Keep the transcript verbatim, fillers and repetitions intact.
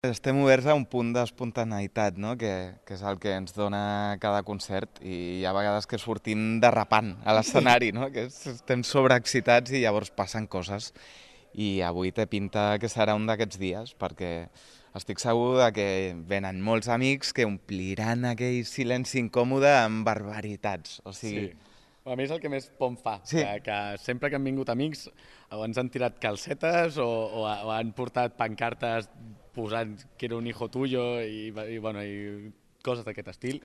Estem oberts a un punt d'espontaneïtat, no? que, que és el que ens dona cada concert, i hi ha vegades que sortim derrapant a l'escenari, no? que és, estem sobreexcitats i llavors passen coses. I avui té pinta que serà un d'aquests dies, perquè estic segur de que venen molts amics que ompliran aquell silenci incòmode amb barbaritats. O Sí. sigui, A mi és el que més por em fa, que, sí, que sempre que han vingut amics o ens han tirat calcetes o, o, o han portat pancartes posant que era un hijo tuyo i, i, bueno, i coses d'aquest estil.